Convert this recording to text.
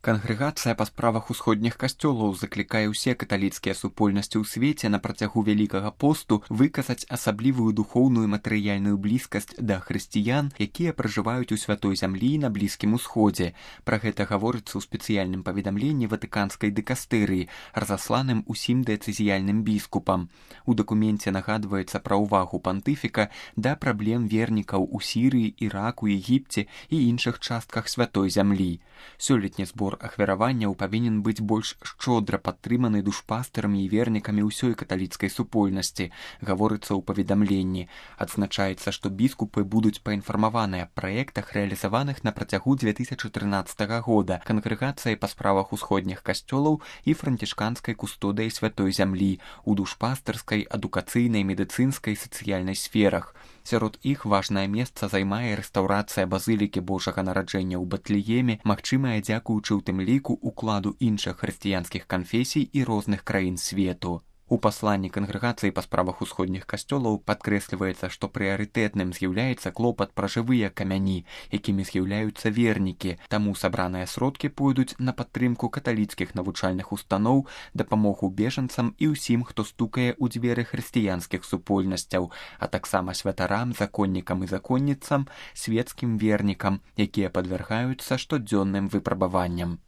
Кангрэгацыя па справах усходніх касцёлаў заклікае ўсе каталіцкія супольнасці ў свеце на працягу вялікага посту выказаць асаблівую духоўную і матэрыяльную блізкасць да хрысціян, якія пражываюць у святой зямлі на Блізкім Усходзе. Пра гэта гаворыцца ў спецыяльным паведамленні ватыканскай дыкастэрыі, разасланым усім дыяцэзіяльным біскупам. У дакуменце нагадваецца пра ўвагу пантыфіка да праблем вернікаў у Сірыі, Іраку, Егіпце і іншых частках святой зямлі. Сёлетні збор ахвяраванняў павінен быць больш шчодра падтрыманы душпастарамі і вернікамі ўсёй каталіцкай супольнасці, гаворыцца ў паведамленні. Адзначаецца, што біскупы будуць паінфармаваныя аб праектах, рэалізаваных на працягу 2013 года кангрэгацыяй па справах усходніх касцёлаў і францішканскай кустодай святой зямлі у душпастарскай, адукацыйнай, медыцынскай, сацыяльнай сферах. Сярод іх важнае месца займае рэстаўрацыя базылікі Божага нараджэння ў Батлееме, магчымая дзякуючы ў тым ліку укладу іншых хрысціянскіх канфесій і розных краін свету. У пасланні кангрэгацыі па справах усходніх касцёлаў падкрэсліваецца, што прыярытэтным з'яўляецца клопат пра жывыя камяні, якімі з'яўляюцца вернікі, таму сабраныя сродкі пойдуць на падтрымку каталіцкіх навучальных устаноў, дапамогу бежанцам і ўсім, хто стукае ў дзверы хрысціянскіх супольнасцяў, а таксама святарам, законнікам і законніцам, свецкім вернікам, якія падвяргаюцца штодзённым выпрабаванням.